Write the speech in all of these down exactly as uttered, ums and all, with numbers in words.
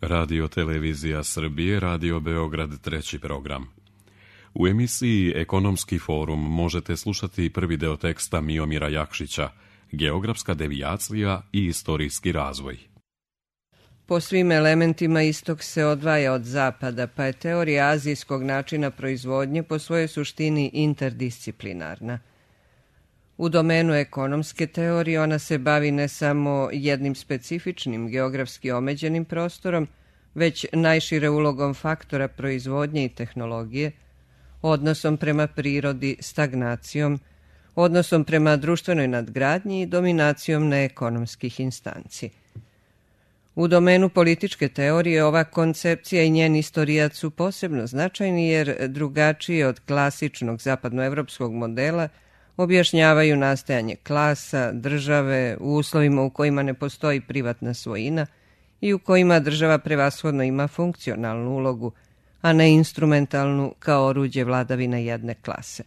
Radio Televizija Srbije, Radio Beograd, treći program. U emisiji Ekonomski forum možete slušati prvi deo teksta Miomira Jakšića, Geografska devijacija i istorijski razvoj. Po svim elementima istok se odvaja od zapada, pa je teorija azijskog načina proizvodnje po svojoj suštini interdisciplinarna. U domenu ekonomske teorije ona se bavi ne samo jednim specifičnim geografski omeđenim prostorom, već najšire ulogom faktora proizvodnje i tehnologije, odnosom prema prirodi, stagnacijom, odnosom prema društvenoj nadgradnji i dominacijom neekonomskih instanci. U domenu političke teorije ova koncepcija i njen istorijat su posebno značajni jer drugačije od klasičnog zapadnoevropskog modela objašnjavaju nastajanje klasa, države, u uslovima u kojima ne postoji privatna svojina i u kojima država prevashodno ima funkcionalnu ulogu, a ne instrumentalnu kao oruđe vladavine jedne klase.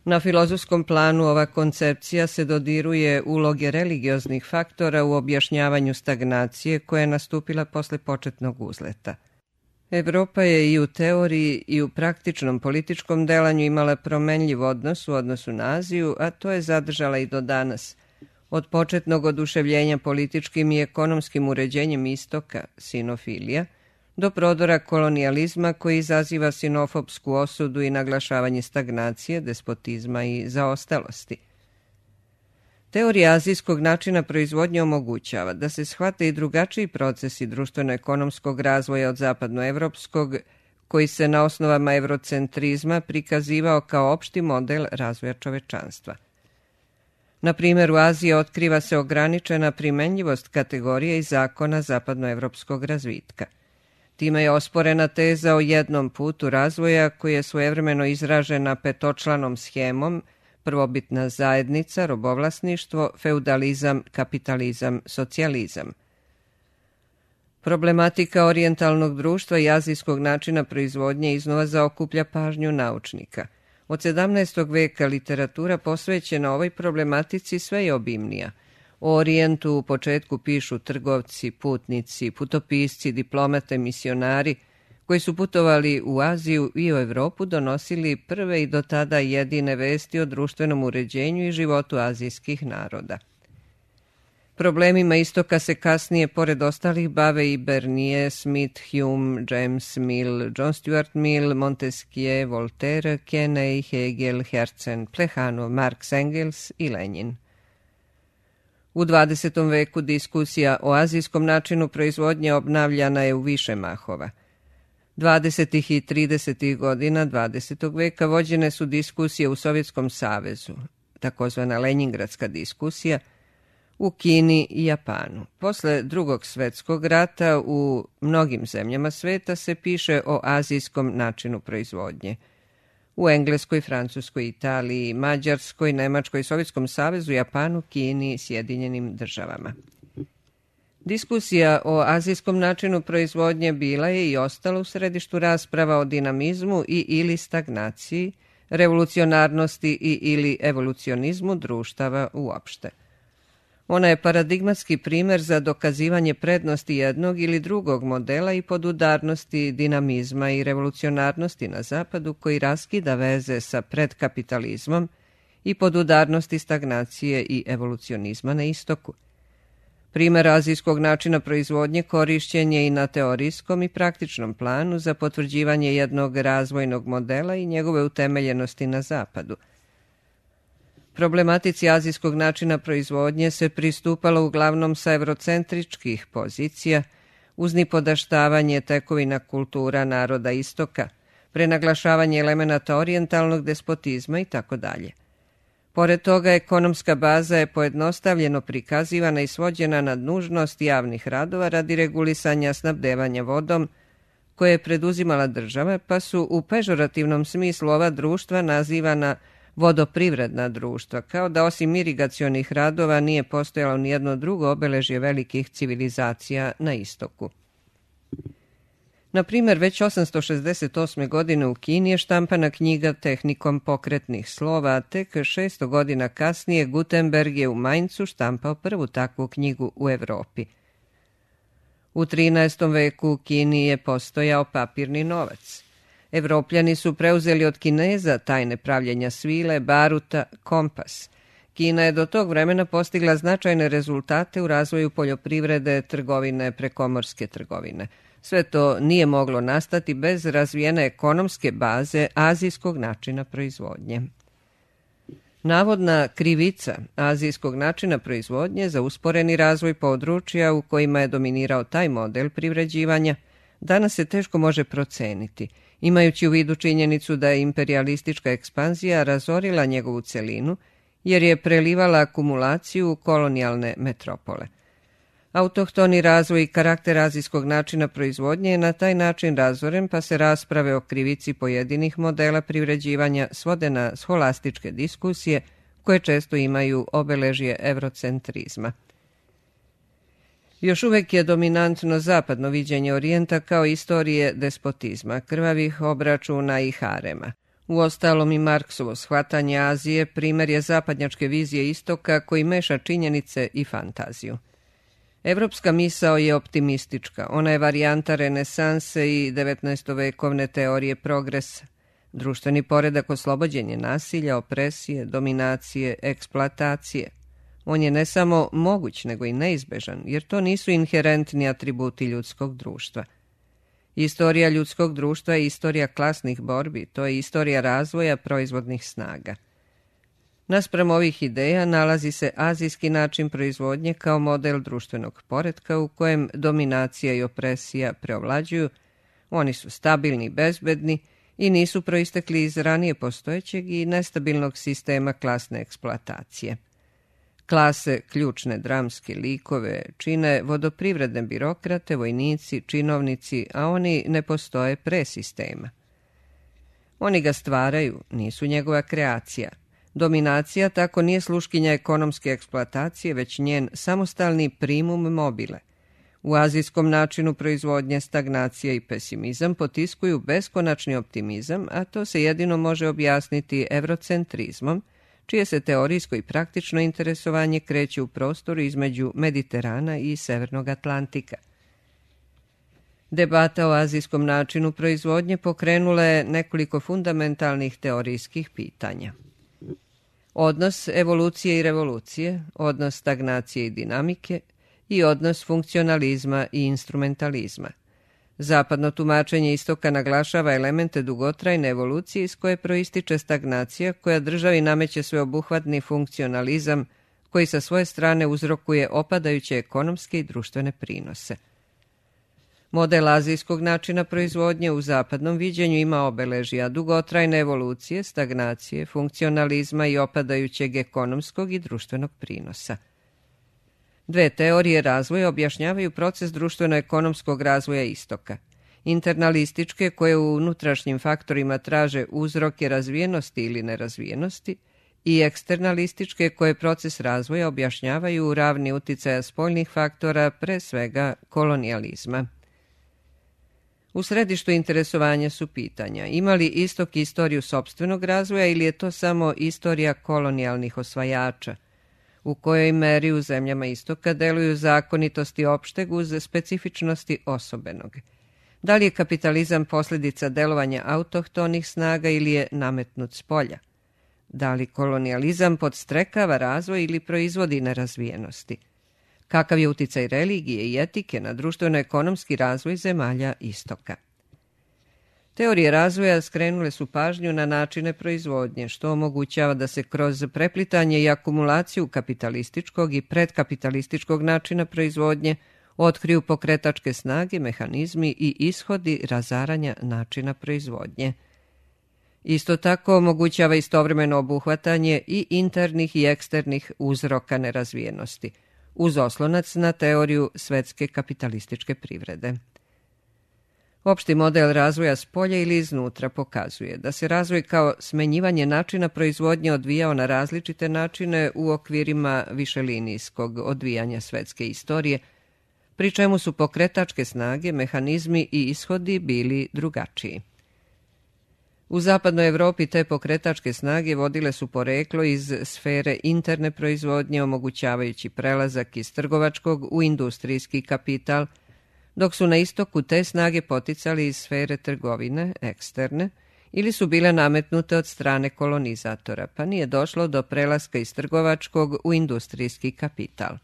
Na filozofskom planu ova koncepcija se dodiruje uloge religioznih faktora u objašnjavanju stagnacije koja je nastupila posle početnog uzleta. Evropa je i u teoriji i u praktičnom političkom delanju imala promenljiv odnos u odnosu na Aziju, a to je zadržala i do danas. Od početnog oduševljenja političkim i ekonomskim uređenjem istoka, sinofilija, do prodora kolonijalizma koji izaziva sinofopsku osudu i naglašavanje stagnacije, despotizma i zaostalosti. Teorija azijskog načina proizvodnje omogućava da se shvate i drugačiji procesi društveno-ekonomskog razvoja od zapadnoevropskog, koji se na osnovama evrocentrizma prikazivao kao opšti model razvoja čovečanstva. Na primjer, u Aziji otkriva se ograničena primenljivost kategorije i zakona zapadnoevropskog razvitka. Time je osporena teza o jednom putu razvoja koji je svojevremeno izražena petočlanom schemom: prvobitna zajednica, robovlasništvo, feudalizam, kapitalizam, socijalizam. Problematika orijentalnog društva i azijskog načina proizvodnje iznova zaokuplja pažnju naučnika. Od sedamnaestog veka literatura posvećena ovoj problematici sve je obimnija. O Orijentu u početku pišu trgovci, putnici, putopisci, diplomate, misionari, koji su putovali u Aziju i u Evropu, donosili prve i do tada jedine vesti o društvenom uređenju i životu azijskih naroda. Problemima istoka se kasnije, pored ostalih, bave i Bernier, Smith, Hume, James Mill, John Stuart Mill, Montesquieu, Voltaire, Kenney, Hegel, Herzen, Plehanov, Marx, Engels i Lenin. U dvadesetom veku diskusija o azijskom načinu proizvodnje obnavljana je u više mahova. dvadesetih i tridesetih godina dvadesetog veka vođene su diskusije u Sovjetskom savezu, takozvana Lenjingradska diskusija, u Kini i Japanu. Posle Drugog svetskog rata u mnogim zemljama sveta se piše o azijskom načinu proizvodnje. U Engleskoj, Francuskoj, Italiji, Mađarskoj, Nemačkoj, Sovjetskom savezu, Japanu, Kini i Sjedinjenim državama. Diskusija o azijskom načinu proizvodnje bila je i ostala u središtu rasprava o dinamizmu i ili stagnaciji, revolucionarnosti i ili evolucionizmu društava uopšte. Ona je paradigmatski primer za dokazivanje prednosti jednog ili drugog modela i podudarnosti dinamizma i revolucionarnosti na zapadu koji raskida veze sa predkapitalizmom i podudarnosti stagnacije i evolucionizma na istoku. Primer azijskog načina proizvodnje korišćen je i na teorijskom i praktičnom planu za potvrđivanje jednog razvojnog modela i njegove utemeljenosti na zapadu. Problematici azijskog načina proizvodnje se pristupalo uglavnom sa evrocentričkih pozicija, uz nipodaštavanje tekovina kultura naroda istoka, prenaglašavanje elemenata orijentalnog despotizma itd. Pored toga, ekonomska baza je pojednostavljeno prikazivana i svođena na nužnost javnih radova radi regulisanja snabdevanja vodom, koje je preduzimala država, pa su u pežorativnom smislu ova društva nazivana vodoprivredna društva, kao da osim irigacionih radova nije postojalo nijedno drugo obeležje velikih civilizacija na istoku. Na primjer, već osamsto šezdeset osme. godine u Kini je štampana knjiga tehnikom pokretnih slova, a tek šesto godina kasnije Gutenberg je u Mainzu štampao prvu takvu knjigu u Evropi. U trinaestom veku u Kini je postojao papirni novac. Evropljani su preuzeli od Kineza tajne pravljenja svile, baruta, kompas. Kina je do tog vremena postigla značajne rezultate u razvoju poljoprivrede, trgovine, prekomorske trgovine. Sve to nije moglo nastati bez razvijene ekonomske baze azijskog načina proizvodnje. Navodna krivica azijskog načina proizvodnje za usporeni razvoj područja u kojima je dominirao taj model privređivanja danas se teško može proceniti, imajući u vidu činjenicu da je imperijalistička ekspanzija razorila njegovu celinu jer je prelivala akumulaciju u kolonijalne metropole. Autohtoni razvoj i karakter azijskog načina proizvodnje je na taj način razoren, pa se rasprave o krivici pojedinih modela privređivanja svode na scholastičke diskusije koje često imaju obeležje evrocentrizma. Još uvek je dominantno zapadno viđenje Orijenta kao istorije despotizma, krvavih obračuna i harema. Uostalom i Marksovo shvatanje Azije primer je zapadnjačke vizije istoka koji meša činjenice i fantaziju. Evropska misao je optimistička, ona je varijanta renesanse i devetnaestovekovne teorije progresa. Društveni poredak oslobođen je nasilja, opresije, dominacije, eksploatacije. On je ne samo moguć, nego i neizbežan, jer to nisu inherentni atributi ljudskog društva. Istorija ljudskog društva je istorija klasnih borbi, to je istorija razvoja proizvodnih snaga. Naspram ovih ideja nalazi se azijski način proizvodnje kao model društvenog poretka u kojem dominacija i opresija preovlađuju. Oni su stabilni i bezbedni i nisu proistekli iz ranije postojećeg i nestabilnog sistema klasne eksploatacije. Klase, ključne dramske likove, čine vodoprivredne birokrate, vojnici, činovnici, a oni ne postoje pre sistema. Oni ga stvaraju, nisu njegova kreacija. Dominacija tako nije sluškinja ekonomske eksploatacije, već njen samostalni primum mobile. U azijskom načinu proizvodnje stagnacija i pesimizam potiskuju beskonačni optimizam, a to se jedino može objasniti evrocentrizmom, čije se teorijsko i praktično interesovanje kreće u prostoru između Mediterana i Severnog Atlantika. Debata o azijskom načinu proizvodnje pokrenula je nekoliko fundamentalnih teorijskih pitanja. Odnos evolucije i revolucije, odnos stagnacije i dinamike i odnos funkcionalizma i instrumentalizma. Zapadno tumačenje istoka naglašava elemente dugotrajne evolucije iz koje proističe stagnacija koja državi nameće sveobuhvatni funkcionalizam koji sa svoje strane uzrokuje opadajuće ekonomske i društvene prinose. Model azijskog načina proizvodnje u zapadnom viđenju ima obeležja dugotrajne evolucije, stagnacije, funkcionalizma i opadajućeg ekonomskog i društvenog prinosa. Dve teorije razvoja objašnjavaju proces društveno-ekonomskog razvoja istoka. Internalističke, koje u unutrašnjim faktorima traže uzroke razvijenosti ili nerazvijenosti, i eksternalističke, koje proces razvoja objašnjavaju u ravni uticaja spoljnih faktora, pre svega kolonijalizma. U središtu interesovanja su pitanja: ima li istok istoriju sopstvenog razvoja ili je to samo istorija kolonijalnih osvajača? U kojoj meri u zemljama istoka deluju zakonitosti opšteg uz specifičnosti osobenog? Da li je kapitalizam posljedica delovanja autohtonih snaga ili je nametnut s polja? Da li kolonijalizam podstrekava razvoj ili proizvodi nerazvijenosti? Kakav je uticaj religije i etike na društveno-ekonomski razvoj zemalja istoka? Teorije razvoja skrenule su pažnju na načine proizvodnje, što omogućava da se kroz preplitanje i akumulaciju kapitalističkog i predkapitalističkog načina proizvodnje otkriju pokretačke snage, mehanizmi i ishodi razaranja načina proizvodnje. Isto tako omogućava istovremeno obuhvatanje i internih i eksternih uzroka nerazvijenosti, uz oslonac na teoriju svetske kapitalističke privrede. Opšti model razvoja s polja ili iznutra pokazuje da se razvoj kao smenjivanje načina proizvodnje odvijao na različite načine u okvirima višelinijskog odvijanja svetske istorije, pri čemu su pokretačke snage, mehanizmi i ishodi bili drugačiji. U zapadnoj Evropi te pokretačke snage vodile su poreklo iz sfere interne proizvodnje, omogućavajući prelazak iz trgovačkog u industrijski kapital, dok su na istoku te snage poticali iz sfere trgovine, eksterne, ili su bile nametnute od strane kolonizatora, pa nije došlo do prelaska iz trgovačkog u industrijski kapital.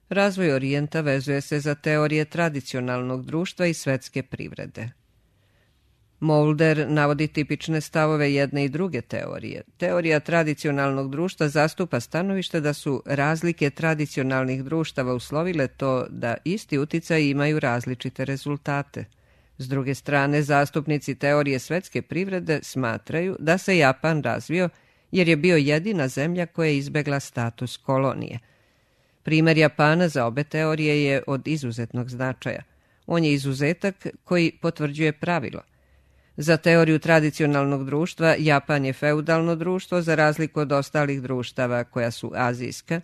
Razvoj Orijenta vezuje se za teorije tradicionalnog društva i svetske privrede. Mulder navodi tipične stavove jedne i druge teorije. Teorija tradicionalnog društva zastupa stanovište da su razlike tradicionalnih društava uslovile to da isti uticaj imaju različite rezultate. S druge strane, zastupnici teorije svetske privrede smatraju da se Japan razvio jer je bio jedina zemlja koja je izbegla status kolonije. Primer Japana za obe teorije je od izuzetnog značaja. On je izuzetak koji potvrđuje pravilo. Za teoriju tradicionalnog društva, Japan je feudalno društvo za razliku od ostalih društava koja su azijska.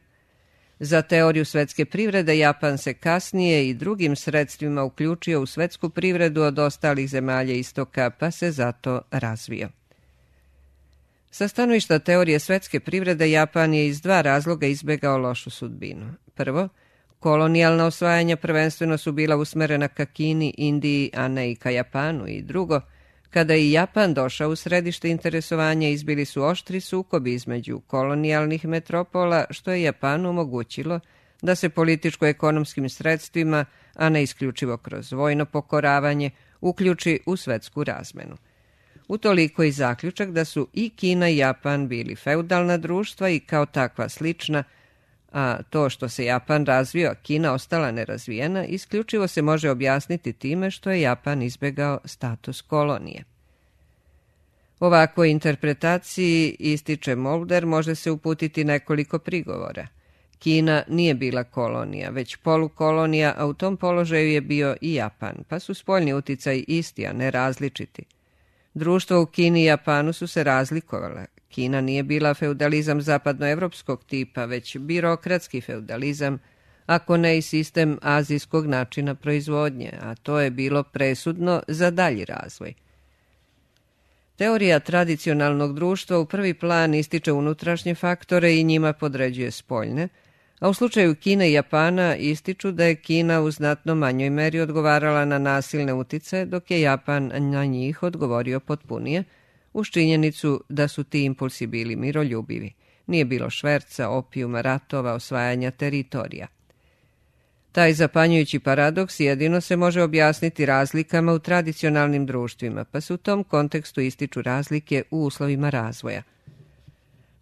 Za teoriju svetske privrede, Japan se kasnije i drugim sredstvima uključio u svetsku privredu od ostalih zemalja istoka, pa se zato razvio. Sa stanovišta teorije svetske privrede, Japan je iz dva razloga izbegao lošu sudbinu. Prvo, kolonijalna osvajanja prvenstveno su bila usmerena ka Kini, Indiji, a ne i ka Japanu. I drugo, kada je Japan došao u središte interesovanja, izbili su oštri sukobi između kolonijalnih metropola, što je Japanu omogućilo da se političko-ekonomskim sredstvima, a ne isključivo kroz vojno pokoravanje, uključi u svetsku razmenu. Utoliko i zaključak da su i Kina i Japan bili feudalna društva i kao takva slična, a to što se Japan razvio, a Kina ostala nerazvijena, isključivo se može objasniti time što je Japan izbegao status kolonije. Ovakvoj interpretaciji, ističe Mulder, može se uputiti nekoliko prigovora. Kina nije bila kolonija, već polukolonija, a u tom položaju je bio i Japan, pa su spoljni uticaj isti, a ne različiti. Društva u Kini i Japanu su se razlikovala. Kina nije bila feudalizam zapadnoevropskog tipa, već birokratski feudalizam, ako ne i sistem azijskog načina proizvodnje, a to je bilo presudno za dalji razvoj. Teorija tradicionalnog društva u prvi plan ističe unutrašnje faktore i njima podređuje spoljne, a u slučaju Kine i Japana ističu da je Kina u znatno manjoj meri odgovarala na nasilne uticaje, dok je Japan na njih odgovorio potpunije, uz činjenicu da su ti impulsi bili miroljubivi. Nije bilo šverca, opijuma, ratova, osvajanja teritorija. Taj zapanjujući paradoks jedino se može objasniti razlikama u tradicionalnim društvima, pa se u tom kontekstu ističu razlike u uslovima razvoja.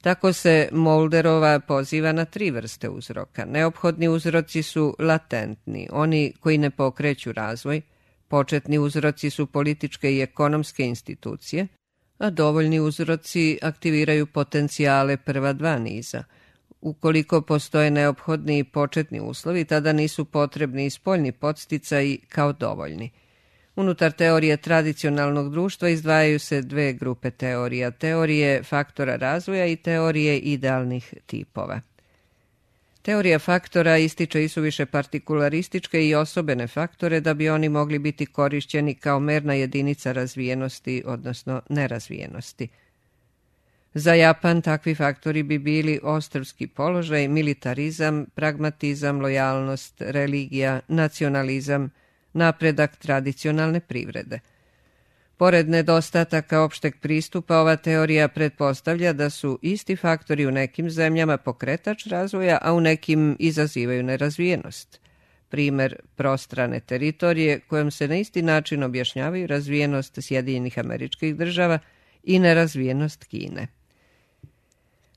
Tako se Mulderova poziva na tri vrste uzroka. Neophodni uzroci su latentni, oni koji ne pokreću razvoj, početni uzroci su političke i ekonomske institucije, a dovoljni uzroci aktiviraju potencijale prva dva niza. Ukoliko postoje neophodni i početni uslovi, tada nisu potrebni i spoljni podsticaji kao dovoljni. Unutar teorije tradicionalnog društva izdvajaju se dve grupe teorija, teorije faktora razvoja i teorije idealnih tipova. Teorija faktora ističe isuviše partikularističke i osobene faktore da bi oni mogli biti korišćeni kao merna jedinica razvijenosti, odnosno nerazvijenosti. Za Japan takvi faktori bi bili ostrvski položaj, militarizam, pragmatizam, lojalnost, religija, nacionalizam, napredak tradicionalne privrede. Pored nedostataka opšteg pristupa, ova teorija pretpostavlja da su isti faktori u nekim zemljama pokretač razvoja, a u nekim izazivaju nerazvijenost. Primer prostrane teritorije kojom se na isti način objašnjavaju razvijenost Sjedinjenih Američkih Država i nerazvijenost Kine.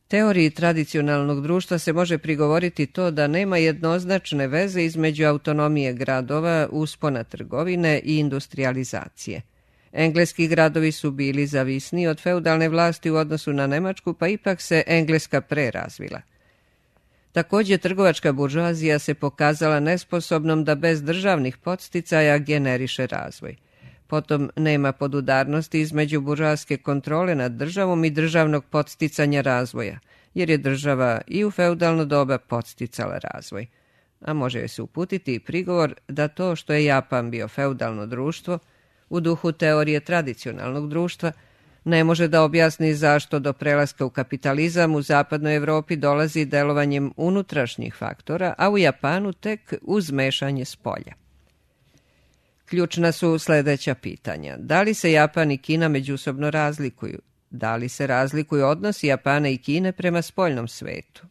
Teoriji tradicionalnog društva se može prigovoriti to da nema jednoznačne veze između autonomije gradova, uspona trgovine i industrijalizacije. Engleski gradovi su bili zavisni od feudalne vlasti u odnosu na Nemačku, pa ipak se Engleska prerazvila. Također, trgovačka buržoazija se pokazala nesposobnom da bez državnih podsticaja generiše razvoj. Potom nema podudarnosti između buržoaske kontrole nad državom i državnog podsticanja razvoja, jer je država i u feudalno doba podsticala razvoj. A može joj se uputiti i prigovor da to što je Japan bio feudalno društvo, u duhu teorije tradicionalnog društva, ne može da objasni zašto do prelaska u kapitalizam u zapadnoj Evropi dolazi delovanjem unutrašnjih faktora, a u Japanu tek uz mešanje spolja. Ključna su sljedeća pitanja. Da li se Japan i Kina međusobno razlikuju? Da li se razlikuju odnosi Japana i Kine prema spoljnom svetu?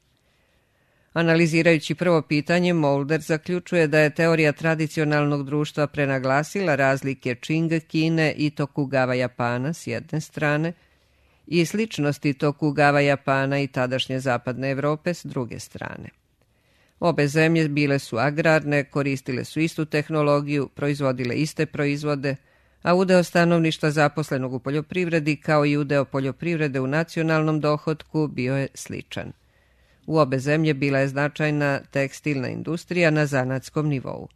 Analizirajući prvo pitanje, Mulder zaključuje da je teorija tradicionalnog društva prenaglasila razlike Čing Kine i Tokugava Japana s jedne strane i sličnosti Tokugava Japana i tadašnje zapadne Evrope s druge strane. Obe zemlje bile su agrarne, koristile su istu tehnologiju, proizvodile iste proizvode, a udeo stanovništva zaposlenog u poljoprivredi kao i udeo poljoprivrede u nacionalnom dohotku bio je sličan. U obe zemlje bila je značajna tekstilna industrija na zanatskom nivou.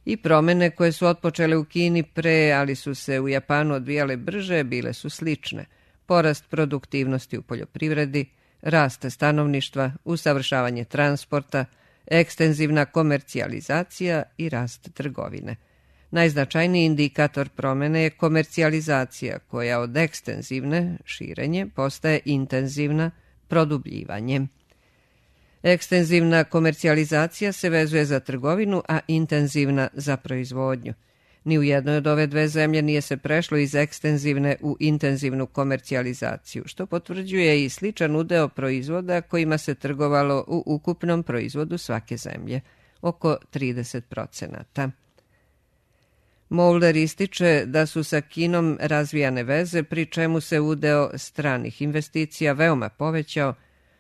I promjene koje su otpočele u Kini pre, ali su se u Japanu odvijale brže, bile su slične. Porast produktivnosti u poljoprivredi, rast stanovništva, usavršavanje transporta, ekstenzivna komercijalizacija i rast trgovine. Najznačajniji indikator promjene je komercijalizacija, koja od ekstenzivne, širenje, postaje intenzivna, produbljivanjem. Ekstenzivna komercijalizacija se vezuje za trgovinu, a intenzivna za proizvodnju. Ni u jednoj od ove dve zemlje nije se prešlo iz ekstenzivne u intenzivnu komercijalizaciju, što potvrđuje i sličan udeo proizvoda kojima se trgovalo u ukupnom proizvodu svake zemlje, oko trideset procenata. Mulder ističe da su sa Kinom razvijane veze, pri čemu se udeo stranih investicija veoma povećao,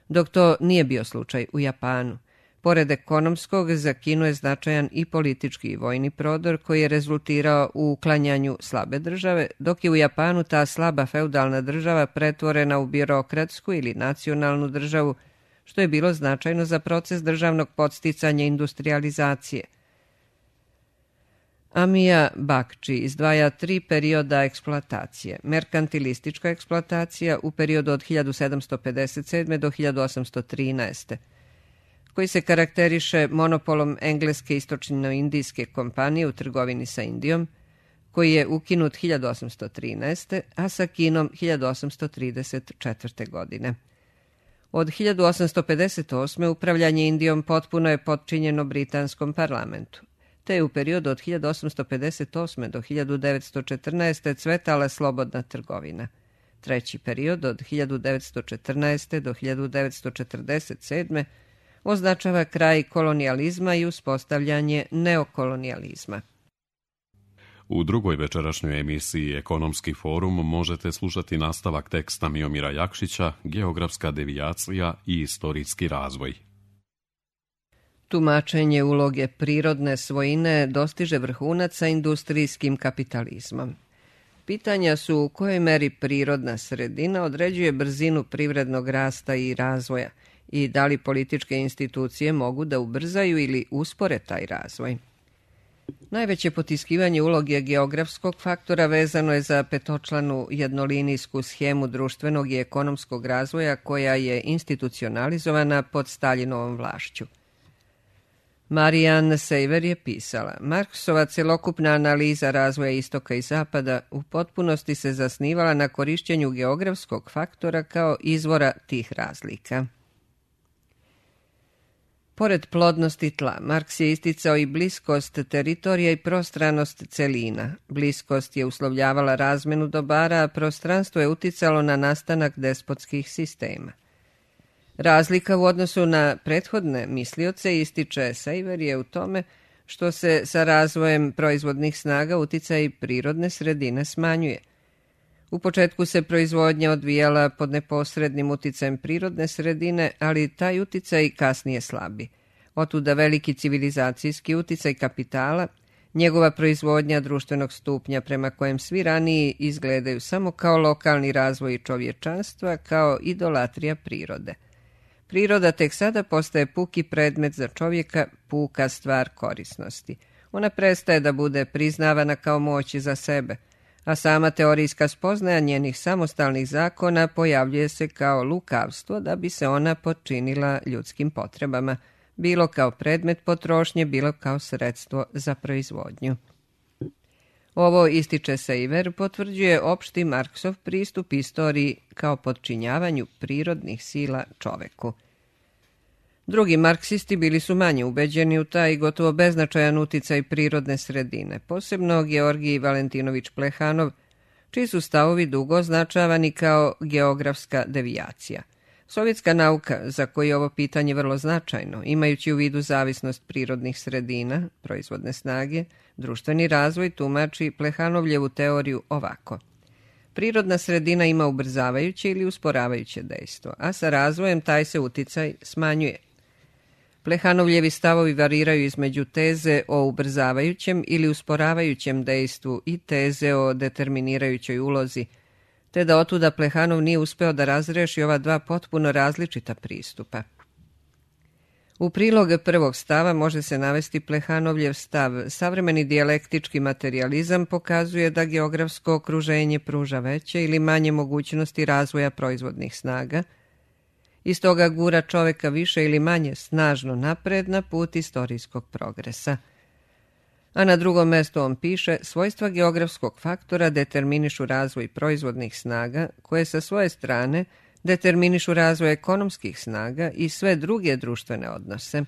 dok to nije bio slučaj u Japanu. Pored ekonomskog, za Kinu je značajan i politički i vojni prodor koji je rezultirao u uklanjanju slabe države, dok je u Japanu ta slaba feudalna država pretvorena u birokratsku ili nacionalnu državu, što je bilo značajno za proces državnog podsticanja industrializacije. Amija Bakči izdvaja tri perioda eksploatacije. Merkantilistička eksploatacija u periodu od hiljadu sedamsto pedeset sedme. do hiljadu osamsto trinaeste. koji se karakteriše monopolom engleske istočno-indijske kompanije u trgovini sa Indijom, koji je ukinut hiljadu osamsto trinaeste. a sa Kinom hiljadu osamsto trideset četvrte. godine. Od hiljadu osamsto pedeset osme. upravljanje Indijom potpuno je potčinjeno britanskom parlamentu, te je u periodu od hiljadu osamsto pedeset osme. do hiljadu devetsto četrnaeste. cvetala slobodna trgovina. Treći period od hiljadu devetsto četrnaeste. do hiljadu devetsto četrdeset sedme. označava kraj kolonijalizma i uspostavljanje neokolonijalizma. U drugoj večerašnjoj emisiji Ekonomski forum možete slušati nastavak teksta Miomira Jakšića, Geografska devijacija i istorijski razvoj. Tumačenje uloge prirodne svojine dostiže vrhunac sa industrijskim kapitalizmom. Pitanja su u kojoj meri prirodna sredina određuje brzinu privrednog rasta i razvoja i da li političke institucije mogu da ubrzaju ili uspore taj razvoj. Najveće potiskivanje uloge geografskog faktora vezano je za petočlanu jednolinijsku schemu društvenog i ekonomskog razvoja koja je institucionalizovana pod Staljinovom vlašću. Marianne Seiver je pisala: Marksova celokupna analiza razvoja istoka i zapada u potpunosti se zasnivala na korišćenju geografskog faktora kao izvora tih razlika. Pored plodnosti tla, Marks je isticao i bliskost teritorija i prostranost celina. Bliskost je uslovljavala razmenu dobara, a prostranstvo je uticalo na nastanak despotskih sistema. Razlika u odnosu na prethodne mislioce, ističe Seiver, je u tome što se sa razvojem proizvodnih snaga uticaj prirodne sredine smanjuje. U početku se proizvodnja odvijala pod neposrednim uticajem prirodne sredine, ali taj uticaj kasnije slabi. Otuda veliki civilizacijski uticaj kapitala, njegova proizvodnja društvenog stupnja prema kojem svi raniji izgledaju samo kao lokalni razvoj čovječanstva, kao idolatrija prirode. Priroda tek sada postaje puki predmet za čovjeka, puka stvar korisnosti. Ona prestaje da bude priznavana kao moć za sebe, a sama teorijska spoznaja njenih samostalnih zakona pojavljuje se kao lukavstvo da bi se ona potčinila ljudskim potrebama, bilo kao predmet potrošnje, bilo kao sredstvo za proizvodnju. Ovo, ističe Seiver, potvrđuje opšti Marksov pristup istoriji kao potčinjavanju prirodnih sila čoveku. Drugi marksisti bili su manje ubeđeni u taj gotovo beznačajan uticaj prirodne sredine, posebno Georgij Valentinović Plehanov, čiji su stavovi dugo označavani kao geografska devijacija. Sovjetska nauka, za koju je ovo pitanje vrlo značajno, imajući u vidu zavisnost prirodnih sredina, proizvodne snage, društveni razvoj, tumači Plehanovljevu teoriju ovako. Prirodna sredina ima ubrzavajuće ili usporavajuće dejstvo, a sa razvojem taj se uticaj smanjuje. Plehanovljevi stavovi variraju između teze o ubrzavajućem ili usporavajućem dejstvu i teze o determinirajućoj ulozi, te da otuda Plehanov nije uspeo da razreši ova dva potpuno različita pristupa. U prilog prvog stava može se navesti Plehanovljev stav. Savremeni dijalektički materijalizam pokazuje da geografsko okruženje pruža veće ili manje mogućnosti razvoja proizvodnih snaga, i stoga gura čoveka više ili manje snažno napred na put istorijskog progresa. A na drugom mjestu on piše, svojstva geografskog faktora determinišu razvoj proizvodnih snaga, koje sa svoje strane determinišu razvoj ekonomskih snaga i sve druge društvene odnose.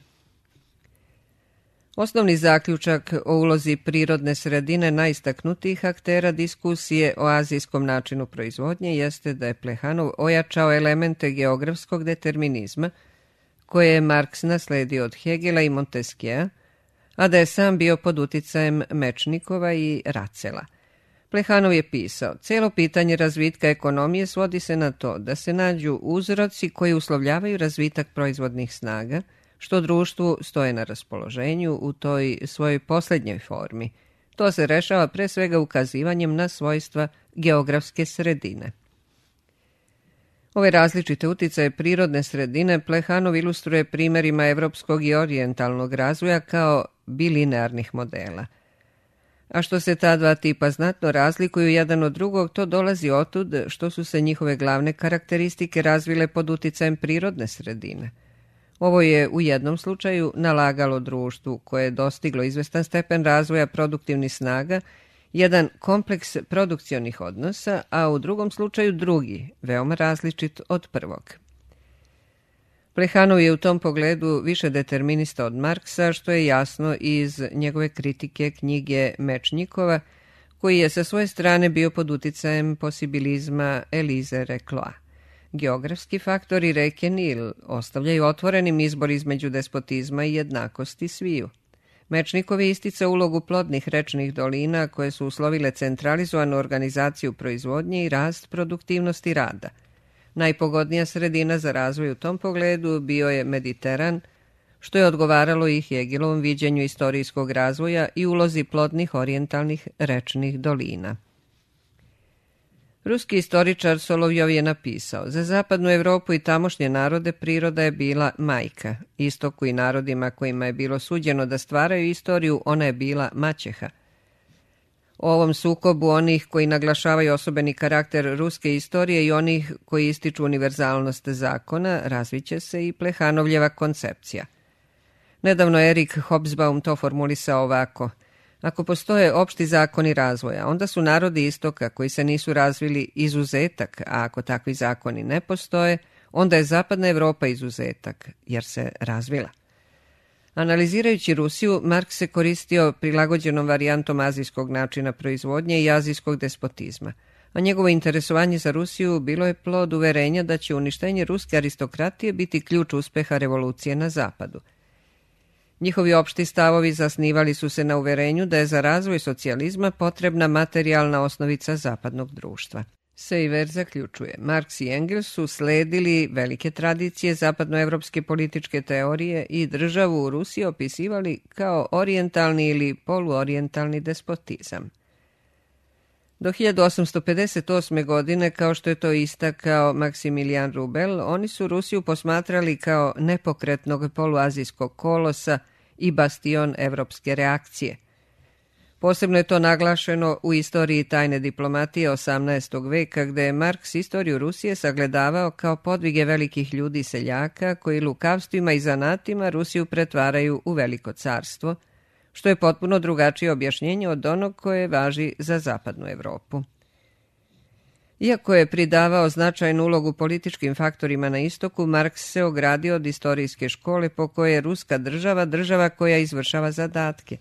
Osnovni zaključak o ulozi prirodne sredine najistaknutijih aktera diskusije o azijskom načinu proizvodnje jeste da je Plehanov ojačao elemente geografskog determinizma, koje je Marks nasledio od Hegela i Montesquieu, a da je sam bio pod uticajem Mečnikova i Racela. Plehanov je pisao, cijelo pitanje razvitka ekonomije svodi se na to da se nađu uzroci koji uslovljavaju razvitak proizvodnih snaga, što društvu stoje na raspoloženju u toj svojoj posljednjoj formi. To se rešava pre svega ukazivanjem na svojstva geografske sredine. Ove različite uticaje prirodne sredine Plehanov ilustruje primjerima evropskog i orijentalnog razvoja kao bilinearnih modela. A što se ta dva tipa znatno razlikuju jedan od drugog, to dolazi otud što su se njihove glavne karakteristike razvile pod uticajem prirodne sredine. Ovo je u jednom slučaju nalagalo društvu koje je dostiglo izvestan stepen razvoja produktivnih snaga, jedan kompleks produkcionih odnosa, a u drugom slučaju drugi, veoma različit od prvog. Plehanov je u tom pogledu više determinista od Marksa, što je jasno iz njegove kritike knjige Mečnikova, koji je sa svoje strane bio pod uticajem posibilizma Elize Recloa. Geografski faktori reke Nil ostavljaju otvorenim izbor između despotizma i jednakosti sviju. Mečnikov je isticao ulogu plodnih rečnih dolina koje su uslovile centralizovanu organizaciju proizvodnje i rast produktivnosti rada. Najpogodnija sredina za razvoj u tom pogledu bio je Mediteran, što je odgovaralo i Hegelovom viđenju istorijskog razvoja i ulozi plodnih orijentalnih rečnih dolina. Ruski istoričar Solovjov je napisao, za zapadnu Evropu i tamošnje narode priroda je bila majka, istoku i narodima kojima je bilo suđeno da stvaraju istoriju, ona je bila maćeha. O ovom sukobu onih koji naglašavaju osobeni karakter ruske istorije i onih koji ističu univerzalnost zakona razviće se i Plehanovljeva koncepcija. Nedavno Erik Hobsbawm to formulisao ovako. Ako postoje opšti zakoni razvoja, onda su narodi istoka koji se nisu razvili izuzetak, a ako takvi zakoni ne postoje, onda je zapadna Evropa izuzetak, jer se razvila. Analizirajući Rusiju, Marks se koristio prilagođenom varijantom azijskog načina proizvodnje i azijskog despotizma, a njegovo interesovanje za Rusiju bilo je plod uverenja da će uništenje ruske aristokratije biti ključ uspeha revolucije na zapadu. Njihovi opšti stavovi zasnivali su se na uverenju da je za razvoj socijalizma potrebna materijalna osnovica zapadnog društva. Seiver zaključuje, Marks i Engels su sledili velike tradicije zapadnoevropske političke teorije i državu u Rusiji opisivali kao orijentalni ili poluorijentalni despotizam. Do hiljadu osamsto pedeset osme. godine, kao što je to istakao Maksimilijan Rubel, oni su Rusiju posmatrali kao nepokretnog poluazijskog kolosa i bastion evropske reakcije. Posebno je to naglašeno u istoriji tajne diplomatije osamnaestog veka, gde je Marks istoriju Rusije sagledavao kao podvige velikih ljudi seljaka koji lukavstvima i zanatima Rusiju pretvaraju u veliko carstvo, što je potpuno drugačije objašnjenje od onog koje važi za zapadnu Evropu. Iako je pridavao značajnu ulogu političkim faktorima na istoku, Marks se ogradio od istorijske škole po kojoj je ruska država država koja izvršava zadatke.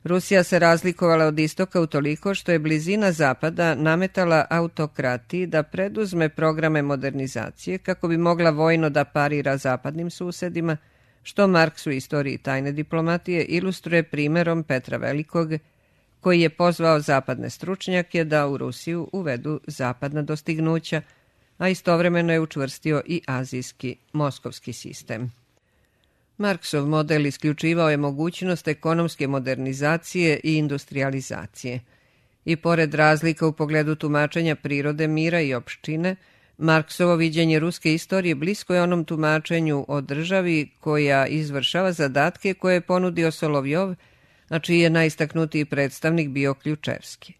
Rusija se razlikovala od istoka utoliko što je blizina zapada nametala autokratiji da preduzme programe modernizacije kako bi mogla vojno da parira zapadnim susedima, što Marks u istoriji tajne diplomatije ilustruje primerom Petra Velikog, koji je pozvao zapadne stručnjake da u Rusiju uvedu zapadna dostignuća, a istovremeno je učvrstio i azijski moskovski sistem. Marksov model isključivao je mogućnost ekonomske modernizacije i industrializacije. I pored razlika u pogledu tumačenja prirode, mira i opštine, Marksovo viđenje ruske istorije blisko je onom tumačenju o državi koja izvršava zadatke koje je ponudio Solovjov, a čiji je najistaknutiji predstavnik bio Ključevski.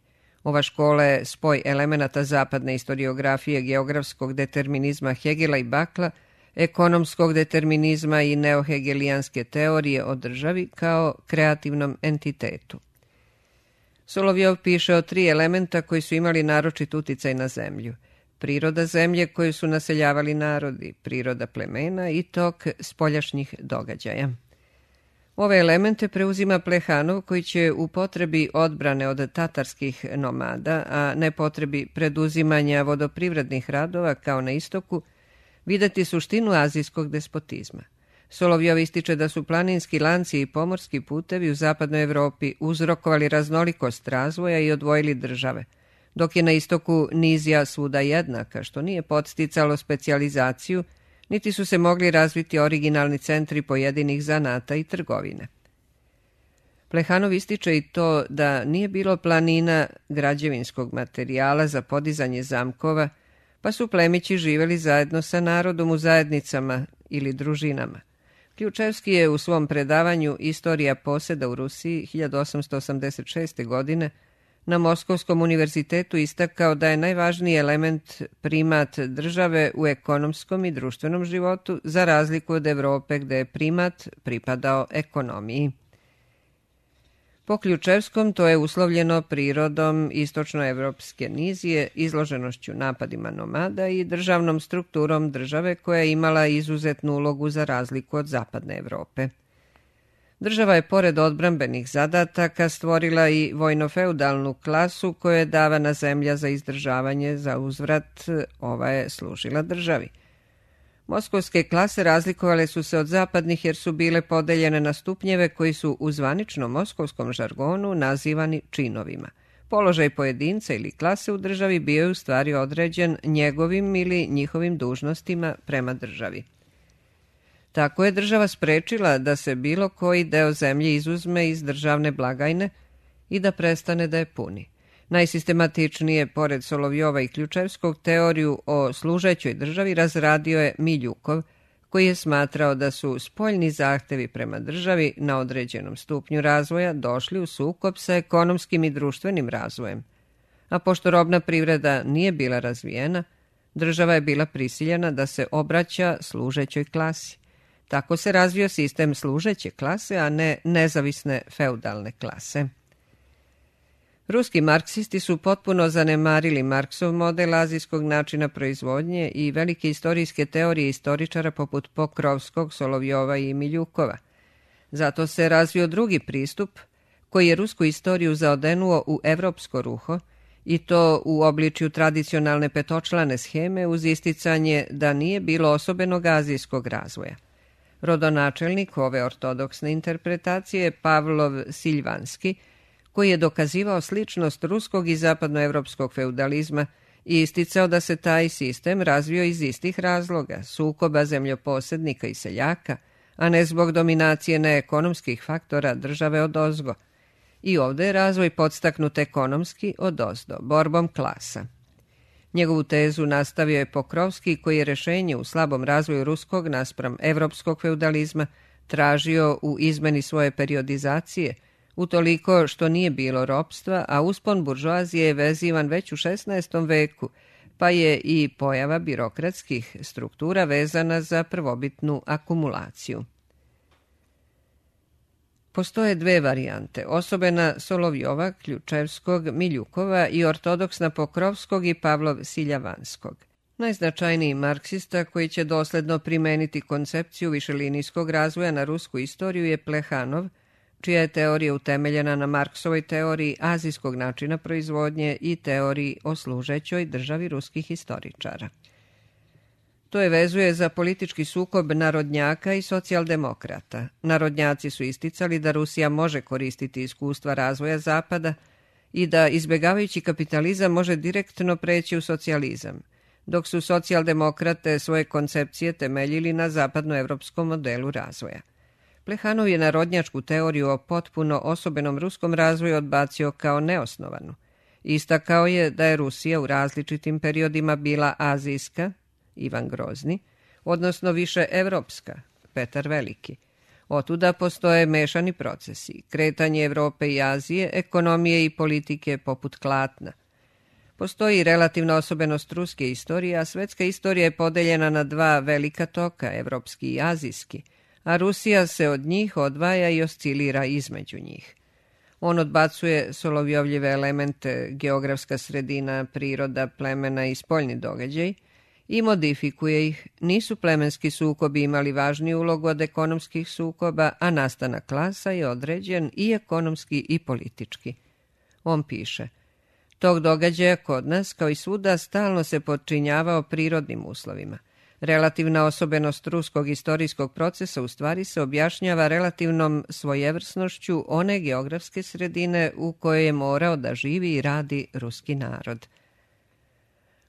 Ova škola je spoj elemenata zapadne istoriografije, geografskog determinizma Hegela i Bakla, ekonomskog determinizma i neohegelijanske teorije o državi kao kreativnom entitetu. Solovjov piše o tri elementa koji su imali naročit uticaj na zemlju. Priroda zemlje koju su naseljavali narodi, priroda plemena i tok spoljašnjih događaja. Ove elemente preuzima Plehanov koji će u potrebi odbrane od tatarskih nomada, a ne potrebi preduzimanja vodoprivrednih radova kao na istoku, videti suštinu azijskog despotizma. Solovjov ističe da su planinski lanci i pomorski putevi u zapadnoj Evropi uzrokovali raznolikost razvoja i odvojili države, dok je na istoku nizija svuda jednaka, što nije podsticalo specijalizaciju, niti su se mogli razviti originalni centri pojedinih zanata i trgovine. Plehanov ističe i to da nije bilo planina građevinskog materijala za podizanje zamkova, pa su plemići živjeli zajedno sa narodom u zajednicama ili družinama. Ključevski je u svom predavanju Istorija poseda u Rusiji hiljadu osamsto osamdeset šeste. godine na Moskovskom univerzitetu istakao da je najvažniji element primat države u ekonomskom i društvenom životu, za razliku od Evrope gde je primat pripadao ekonomiji. Po Ključevskom to je uslovljeno prirodom istočnoevropske nizije, izloženošću napadima nomada i državnom strukturom države koja je imala izuzetnu ulogu za razliku od zapadne Evrope. Država je pored odbrambenih zadataka stvorila i vojno-feudalnu klasu koja je davana zemlja za izdržavanje, za uzvrat ova je služila državi. Moskovske klase razlikovale su se od zapadnih jer su bile podeljene na stupnjeve koji su u zvaničnom moskovskom žargonu nazivani činovima. Položaj pojedinca ili klase u državi bio je u stvari određen njegovim ili njihovim dužnostima prema državi. Tako je država sprečila da se bilo koji deo zemlje izuzme iz državne blagajne i da prestane da je puni. Najsistematičnije, pored Solovjova i Ključevskog, teoriju o služećoj državi razradio je Miljukov, koji je smatrao da su spoljni zahtevi prema državi na određenom stupnju razvoja došli u sukob sa ekonomskim i društvenim razvojem. A pošto robna privreda nije bila razvijena, država je bila prisiljena da se obraća služećoj klasi. Tako se razvio sistem služeće klase, a ne nezavisne feudalne klase. Ruski marksisti su potpuno zanemarili Marksov model azijskog načina proizvodnje i velike istorijske teorije istoričara poput Pokrovskog, Solovjova i Miljukova. Zato se razvio drugi pristup koji je rusku istoriju zaodenuo u evropsko ruho i to u obličju tradicionalne petočlane sheme uz isticanje da nije bilo osobenog azijskog razvoja. Rodonačelnik ove ortodoksne interpretacije je Pavlov Silvanski, koji je dokazivao sličnost ruskog i zapadnoevropskog feudalizma i isticao da se taj sistem razvio iz istih razloga, sukoba zemljoposednika i seljaka, a ne zbog dominacije neekonomskih faktora države odozgo. I ovde je razvoj podstaknut ekonomski odozdo, borbom klasa. Njegovu tezu nastavio je Pokrovski, koji je rešenje u slabom razvoju ruskog naspram evropskog feudalizma tražio u izmeni svoje periodizacije, utoliko što nije bilo ropstva, a uspon buržoazije je vezivan već u šesnaestom veku, pa je i pojava birokratskih struktura vezana za prvobitnu akumulaciju. Postoje dve varijante, osobena Solovjova, Ključevskog, Miljukova i ortodoksna Pokrovskog i Pavlov Siljavanskog. Najznačajniji marksista koji će dosledno primeniti koncepciju višelinijskog razvoja na rusku istoriju je Plehanov, čija je teorija utemeljena na Marksovoj teoriji azijskog načina proizvodnje i teoriji o služećoj državi ruskih historičara. To je vezuje za politički sukob narodnjaka i socijaldemokrata. Narodnjaci su isticali da Rusija može koristiti iskustva razvoja Zapada i da, izbjegavajući kapitalizam, može direktno preći u socijalizam, dok su socijaldemokrate svoje koncepcije temeljili na zapadnoevropskom modelu razvoja. Plehanov je narodnjačku teoriju o potpuno osobenom ruskom razvoju odbacio kao neosnovanu. Istakao je da je Rusija u različitim periodima bila azijska, Ivan Grozni, odnosno više evropska, Petar Veliki. Otuda postoje mešani procesi, kretanje Evrope i Azije, ekonomije i politike poput klatna. Postoji relativna osobenost ruske istorije, a svetska istorija je podeljena na dva velika toka, evropski i azijski, a Rusija se od njih odvaja i oscilira između njih. On odbacuje Solovjovljive elemente, geografska sredina, priroda, plemena i spoljni događaj i modifikuje ih. Nisu plemenski sukobi imali važniju ulogu od ekonomskih sukoba, a nastanak klasa je određen i ekonomski i politički. On piše: tog događaja kod nas, kao i svuda, stalno se podčinjavao prirodnim uslovima. Relativna osobenost ruskog istorijskog procesa u stvari se objašnjava relativnom svojevrsnošću one geografske sredine u kojoj je morao da živi i radi ruski narod.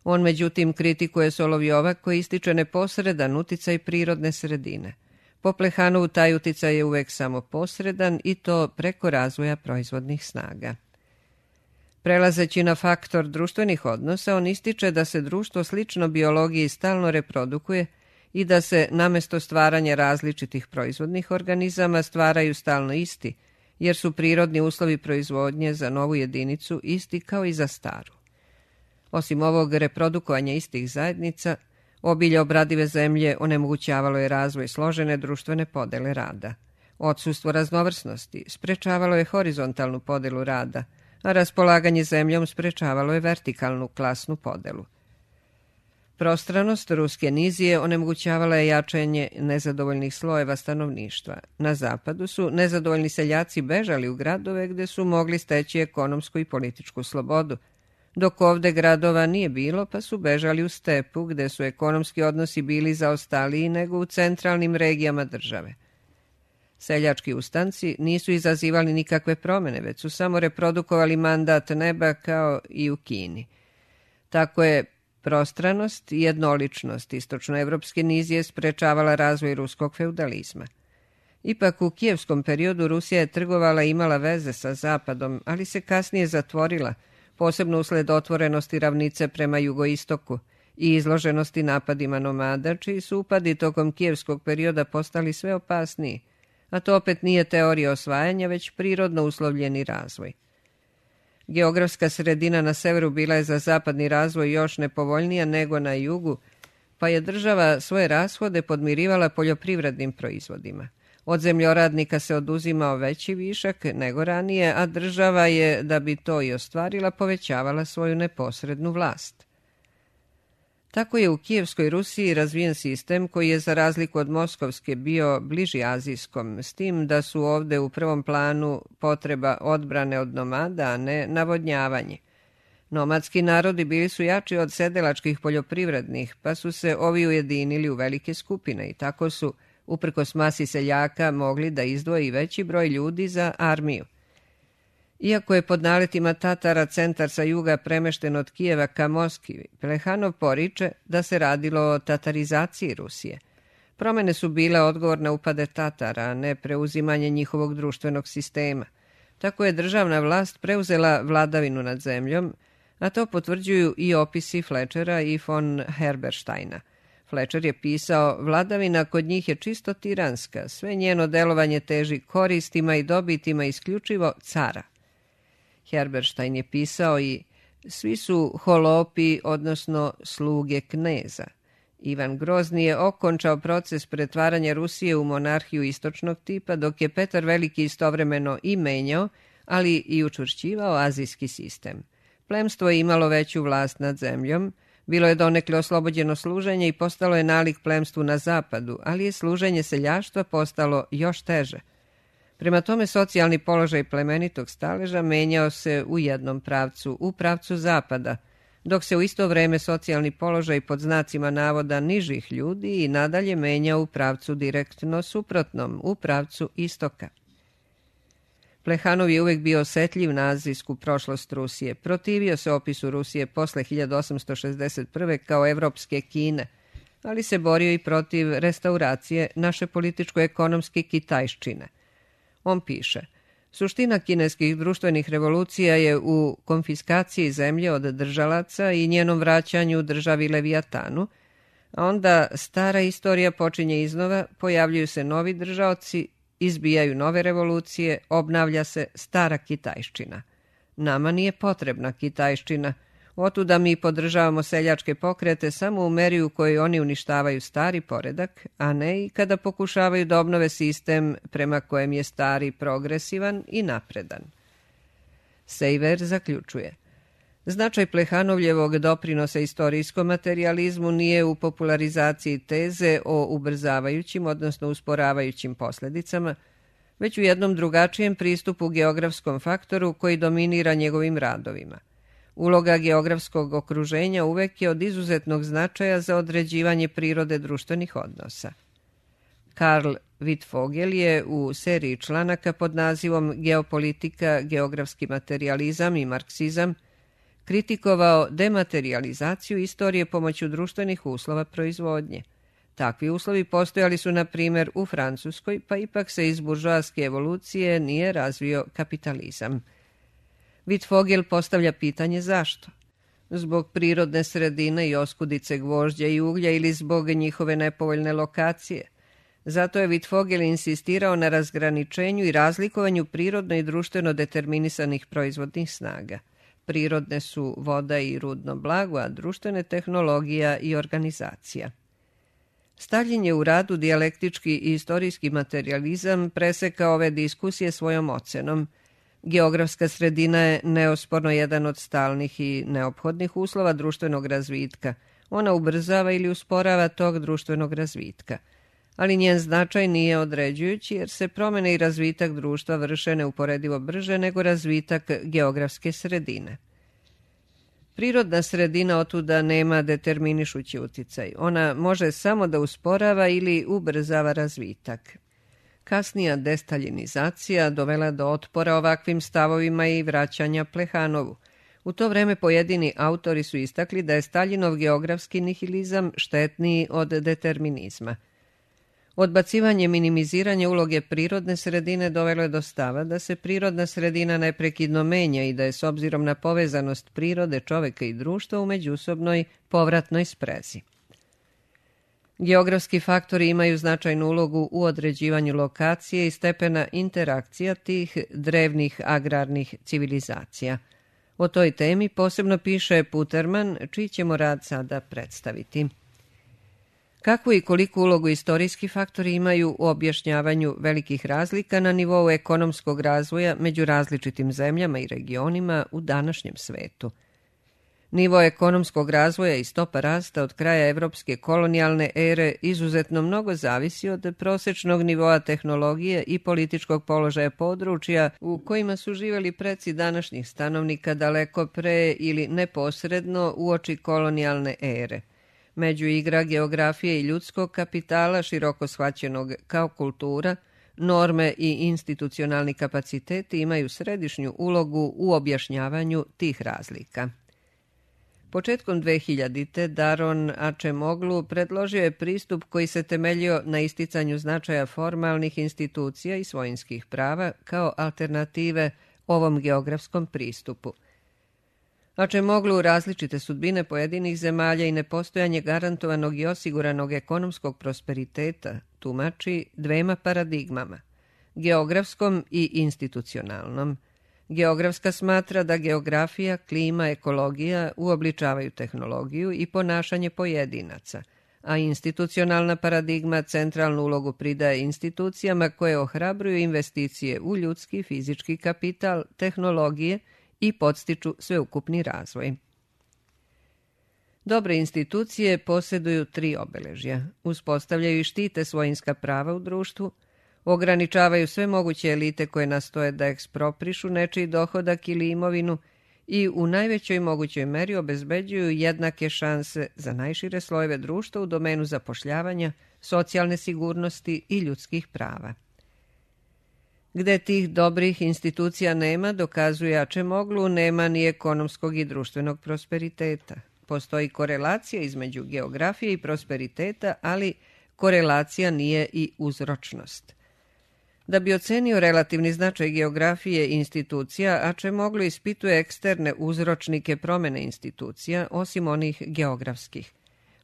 On međutim kritikuje Solovjova koji ističe neposredan uticaj prirodne sredine. Po Plehanovu taj uticaj je uvek samo posredan i to preko razvoja proizvodnih snaga. Prelazeći na faktor društvenih odnosa, on ističe da se društvo slično biologiji stalno reprodukuje i da se namesto stvaranja različitih proizvodnih organizama stvaraju stalno isti, jer su prirodni uslovi proizvodnje za novu jedinicu isti kao i za staru. Osim ovog reprodukovanja istih zajednica, obilje obradive zemlje onemogućavalo je razvoj složene društvene podele rada. Odsustvo raznovrsnosti sprečavalo je horizontalnu podelu rada, a raspolaganje zemljom sprečavalo je vertikalnu klasnu podelu. Prostranost ruske nizije onemogućavala je jačanje nezadovoljnih slojeva stanovništva. Na zapadu su nezadovoljni seljaci bežali u gradove gde su mogli steći ekonomsku i političku slobodu, dok ovde gradova nije bilo pa su bežali u stepu gde su ekonomski odnosi bili zaostaliji nego u centralnim regijama države. Seljački ustanci nisu izazivali nikakve promene, već su samo reprodukovali mandat neba kao i u Kini. Tako je prostranost i jednoličnost istočnoevropske nizije sprečavala razvoj ruskog feudalizma. Ipak u kijevskom periodu Rusija je trgovala i imala veze sa zapadom, ali se kasnije zatvorila, posebno usled otvorenosti ravnice prema jugoistoku i izloženosti napadima nomada, čiji su upadi tokom kijevskog perioda postali sve opasniji, a to opet nije teorija osvajanja, već prirodno uslovljeni razvoj. Geografska sredina na severu bila je za zapadni razvoj još nepovoljnija nego na jugu, pa je država svoje rashode podmirivala poljoprivrednim proizvodima. Od zemljoradnika se oduzimao veći višak nego ranije, a država je, da bi to i ostvarila, povećavala svoju neposrednu vlast. Tako je u Kijevskoj Rusiji razvijen sistem koji je za razliku od Moskovske bio bliži azijskom, s tim da su ovde u prvom planu potreba odbrane od nomada, a ne navodnjavanje. Nomadski narodi bili su jači od sedelačkih poljoprivrednih, pa su se ovi ujedinili u velike skupine i tako su, uprkos masi seljaka, mogli da izdvoji veći broj ljudi za armiju. Iako je pod naletima Tatara centar sa juga premešten od Kijeva ka Moskvi, Plehanov poriče da se radilo o tatarizaciji Rusije. Promene su bile odgovor na upade Tatara, a ne preuzimanje njihovog društvenog sistema. Tako je državna vlast preuzela vladavinu nad zemljom, a to potvrđuju i opisi Fletchera i von Herbersteina. Fletcher je pisao: vladavina kod njih je čisto tiranska, sve njeno delovanje teži koristima i dobitima isključivo cara. Herberstein je pisao i svi su holopi, odnosno sluge kneza. Ivan Grozni je okončao proces pretvaranja Rusije u monarhiju istočnog tipa, dok je Petar Veliki istovremeno i menjao, ali i učvršćivao azijski sistem. Plemstvo je imalo veću vlast nad zemljom, bilo je donekle oslobođeno služenja i postalo je nalik plemstvu na zapadu, ali je služenje seljaštva postalo još teže. Prema tome, socijalni položaj plemenitog staleža menjao se u jednom pravcu, u pravcu zapada, dok se u isto vreme socijalni položaj pod znacima navoda nižih ljudi i nadalje menjao u pravcu direktno suprotnom, u pravcu istoka. Plehanov je uvek bio osetljiv na azijsku prošlost Rusije. Protivio se opisu Rusije posle hiljadu osamsto šezdeset prve kao evropske Kine, ali se borio i protiv restauracije naše političko-ekonomske kitajščine. On piše: suština kineskih društvenih revolucija je u konfiskaciji zemlje od držalaca i njenom vraćanju državi Levijatanu, a onda stara istorija počinje iznova, pojavljuju se novi držaoci, izbijaju nove revolucije, obnavlja se stara kitajščina. Nama nije potrebna kitajščina, otuda mi podržavamo seljačke pokrete samo u meri u kojoj oni uništavaju stari poredak, a ne i kada pokušavaju da obnove sistem prema kojem je stari progresivan i napredan. Sejver zaključuje: značaj Plehanovljevog doprinosa istorijskom materijalizmu nije u popularizaciji teze o ubrzavajućim, odnosno usporavajućim posledicama, već u jednom drugačijem pristupu geografskom faktoru koji dominira njegovim radovima. Uloga geografskog okruženja uvek je od izuzetnog značaja za određivanje prirode društvenih odnosa. Karl Wittfogel je u seriji članaka pod nazivom Geopolitika, geografski materijalizam i marksizam kritikovao dematerializaciju istorije pomoću društvenih uslova proizvodnje. Takvi uslovi postojali su, na primjer, u Francuskoj, pa ipak se iz buržoaske evolucije nije razvio kapitalizam. Wittfogel postavlja pitanje zašto? Zbog prirodne sredine i oskudice gvožđa i uglja ili zbog njihove nepovoljne lokacije? Zato je Wittfogel insistirao na razgraničenju i razlikovanju prirodno i društveno determinisanih proizvodnih snaga. Prirodne su voda i rudno blago, a društvene tehnologija i organizacija. Stalin je u radu Dijalektički i istorijski materijalizam presekao ove diskusije svojom ocenom: geografska sredina je neosporno jedan od stalnih i neophodnih uslova društvenog razvitka. Ona ubrzava ili usporava tok društvenog razvitka. Ali njen značaj nije određujući, jer se promene i razvitak društva vrše neuporedivo brže nego razvitak geografske sredine. Prirodna sredina otuda nema determinišući uticaj. Ona može samo da usporava ili ubrzava razvitak. Kasnija destaljinizacija dovela do otpora ovakvim stavovima i vraćanja Plehanovu. U to vreme pojedini autori su istakli da je Staljinov geografski nihilizam štetniji od determinizma. Odbacivanje i minimiziranje uloge prirodne sredine dovelo je do stava da se prirodna sredina neprekidno menja i da je s obzirom na povezanost prirode, čoveka i društva u međusobnoj povratnoj sprezi. Geografski faktori imaju značajnu ulogu u određivanju lokacije i stepena interakcija tih drevnih agrarnih civilizacija. O toj temi posebno piše Puterman, čiji ćemo rad sada predstaviti. Kakvu i koliku ulogu istorijski faktori imaju u objašnjavanju velikih razlika na nivou ekonomskog razvoja među različitim zemljama i regionima u današnjem svetu? Nivo ekonomskog razvoja i stopa rasta od kraja evropske kolonijalne ere izuzetno mnogo zavisi od prosečnog nivoa tehnologije i političkog položaja područja u kojima su živjeli preci današnjih stanovnika daleko pre ili neposredno uoči kolonijalne ere. Među igra geografije i ljudskog kapitala, široko shvaćenog kao kultura, norme i institucionalni kapaciteti imaju središnju ulogu u objašnjavanju tih razlika. Početkom dvehiljadite Daron Acemoglu predložio je pristup koji se temeljio na isticanju značaja formalnih institucija i svojinskih prava kao alternative ovom geografskom pristupu. Acemoglu različite sudbine pojedinih zemalja i nepostojanje garantovanog i osiguranog ekonomskog prosperiteta tumači dvema paradigmama, geografskom i institucionalnom. Geografska smatra da geografija, klima, ekologija uobličavaju tehnologiju i ponašanje pojedinaca, a institucionalna paradigma centralnu ulogu pridaje institucijama koje ohrabruju investicije u ljudski, fizički kapital, tehnologije i podstiču sveukupni razvoj. Dobre institucije posjeduju tri obeležja. Uspostavljaju i štite svojinska prava u društvu, ograničavaju sve moguće elite koje nastoje da eksproprišu nečiji dohodak ili imovinu i u najvećoj mogućoj meri obezbeđuju jednake šanse za najšire slojeve društva u domenu zapošljavanja, socijalne sigurnosti i ljudskih prava. Gde tih dobrih institucija nema, dokazuje Acemoglu, nema ni ekonomskog i društvenog prosperiteta. Postoji korelacija između geografije i prosperiteta, ali korelacija nije i uzročnost. Da bi ocenio relativni značaj geografije i institucija, Acemoglu ispituje eksterne uzročnike promene institucija, osim onih geografskih.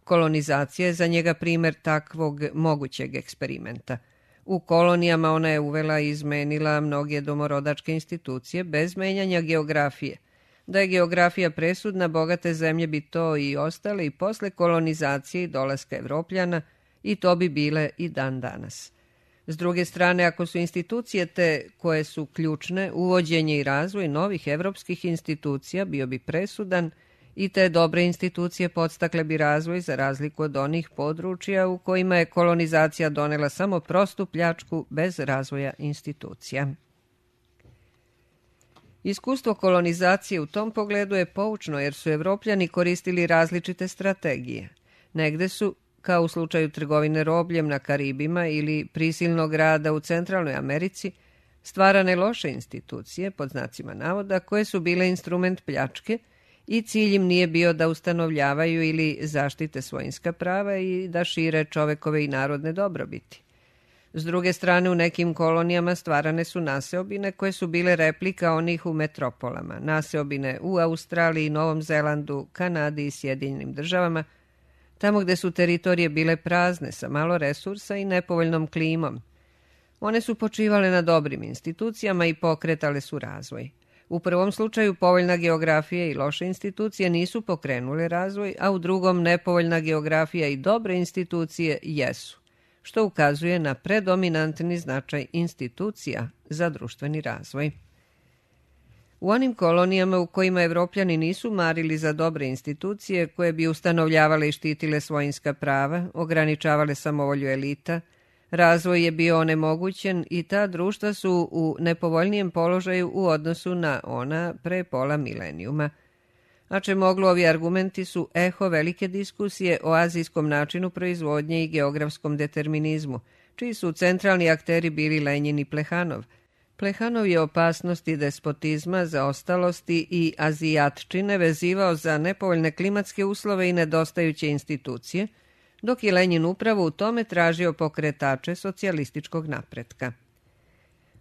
Kolonizacija je za njega primer takvog mogućeg eksperimenta. U kolonijama ona je uvela i izmenila mnoge domorodačke institucije bez menjanja geografije. Da je geografija presudna, bogate zemlje bi to i ostale i posle kolonizacije i dolaska Evropljana, i to bi bile i dan danas. S druge strane, ako su institucije te koje su ključne, uvođenje i razvoj novih evropskih institucija bio bi presudan i te dobre institucije podstakle bi razvoj za razliku od onih područja u kojima je kolonizacija donela samo prostu pljačku bez razvoja institucija. Iskustvo kolonizacije u tom pogledu je poučno jer su Evropljani koristili različite strategije. Negde su, kao u slučaju trgovine robljem na Karibima ili prisilnog rada u Centralnoj Americi, stvarane loše institucije, pod znacima navoda, koje su bile instrument pljačke i cilj im nije bio da ustanovljavaju ili zaštite svojinska prava i da šire čovekove i narodne dobrobiti. S druge strane, u nekim kolonijama stvarane su naseobine koje su bile replika onih u metropolama, naseobine u Australiji, Novom Zelandu, Kanadi i Sjedinjenim državama, tamo gde su teritorije bile prazne, sa malo resursa i nepovoljnom klimom. One su počivale na dobrim institucijama i pokretale su razvoj. U prvom slučaju povoljna geografija i loše institucije nisu pokrenule razvoj, a u drugom nepovoljna geografija i dobre institucije jesu, što ukazuje na predominantni značaj institucija za društveni razvoj. U onim kolonijama u kojima Evropljani nisu marili za dobre institucije koje bi ustanovljavale i štitile svojinska prava, ograničavale samovolju elita, razvoj je bio onemogućen i ta društva su u nepovoljnijem položaju u odnosu na ona pre pola milenijuma. Acemoglu ovi argumenti su eho velike diskusije o azijskom načinu proizvodnje i geografskom determinizmu, čiji su centralni akteri bili Lenjin i Plehanov. Plehanov je opasnosti despotizma, zaostalosti i azijatčine vezivao za nepovoljne klimatske uslove i nedostajuće institucije, dok je Lenjin upravo u tome tražio pokretače socijalističkog napretka.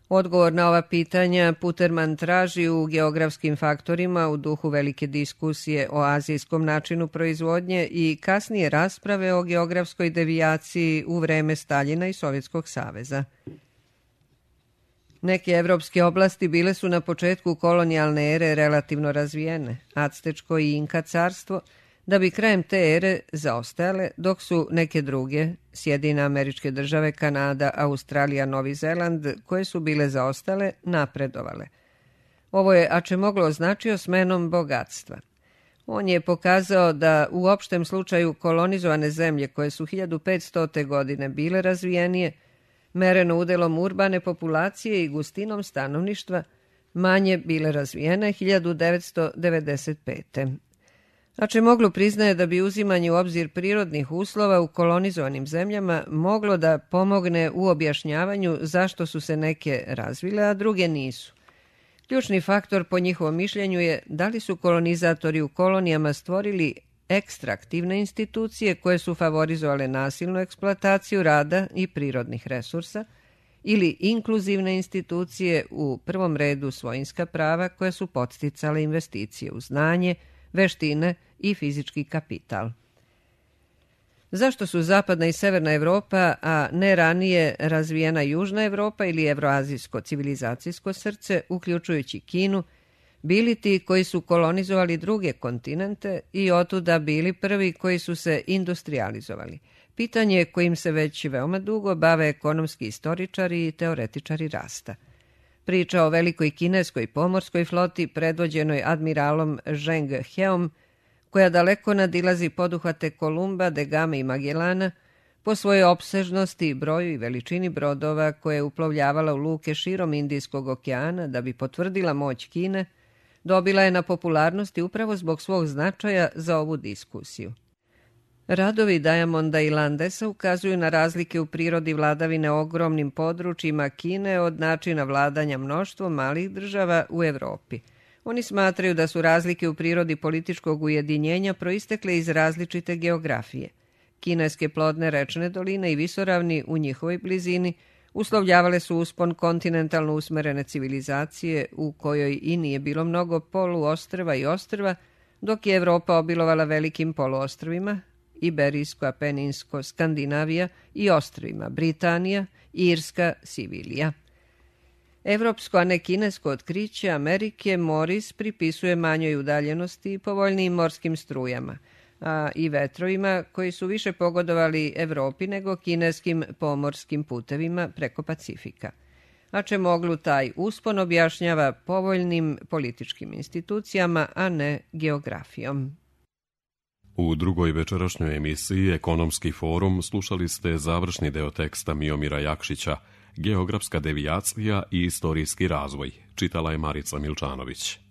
Odgovor na ova pitanja Puterman traži u geografskim faktorima u duhu velike diskusije o azijskom načinu proizvodnje i kasnije rasprave o geografskoj devijaciji u vreme Staljina i Sovjetskog saveza. Neke evropske oblasti bile su na početku kolonijalne ere relativno razvijene, Actečko i Inka carstvo, da bi krajem te ere zaostajale, dok su neke druge, Sjedinjene Američke Države, Kanada, Australija, Novi Zeland, koje su bile zaostale, napredovale. Ovo je Acemoglu označio smenom bogatstva. On je pokazao da u opštem slučaju kolonizovane zemlje koje su hiljadu petstote godine bile razvijenije, mereno udelom urbane populacije i gustinom stanovništva, manje bile razvijene hiljadu devetsto devedeset pete. Acemoglu priznaje da bi uzimanje u obzir prirodnih uslova u kolonizovanim zemljama moglo da pomogne u objašnjavanju zašto su se neke razvile, a druge nisu. Ključni faktor po njihovom mišljenju je da li su kolonizatori u kolonijama stvorili ekstraktivne institucije koje su favorizovale nasilnu eksploataciju rada i prirodnih resursa ili inkluzivne institucije, u prvom redu svojinska prava, koje su podsticale investicije u znanje, veštine i fizički kapital. Zašto su zapadna i severna Evropa, a ne ranije razvijena južna Evropa ili evroazijsko civilizacijsko srce, uključujući Kinu, bili ti koji su kolonizovali druge kontinente i otuda bili prvi koji su se industrializovali? pitanje kojim se već veoma dugo bave ekonomski istoričari i teoretičari rasta. Priča o velikoj kineskoj pomorskoj floti predvođenoj admiralom Zheng Heom, koja daleko nadilazi poduhvate Kolumba, de Game i Magellana, po svojoj opsežnosti, broju i veličini brodova koje je uplovljavala u luke širom Indijskog okeana da bi potvrdila moć Kine, dobila je na popularnosti upravo zbog svog značaja za ovu diskusiju. Radovi Diamonda i Landesa ukazuju na razlike u prirodi vladavine ogromnim područjima Kine od načina vladanja mnoštvom malih država u Evropi. Oni smatraju da su razlike u prirodi političkog ujedinjenja proistekle iz različite geografije. Kineske plodne rečne doline i visoravni u njihovoj blizini uslovljavale su uspon kontinentalno usmerene civilizacije u kojoj i nije bilo mnogo poluostrva i ostrva, dok je Evropa obilovala velikim poluostrvima, Iberijsko, Apeninsko, Skandinavija i ostrvima Britanija, Irska, Sivilija. Evropsko, a ne kinesko otkriće Amerike Morris pripisuje manjoj udaljenosti i povoljnijim morskim strujama, a i vetrovima koji su više pogodovali Evropi nego kineskim pomorskim putevima preko Pacifika. A Čemoglu taj uspon objašnjava povoljnim političkim institucijama, a ne geografijom. U drugoj večerašnjoj emisiji Ekonomski forum slušali ste završni deo teksta Miomira Jakšića, Geografska devijacija i istorijski razvoj. Čitala je Marica Milčanović.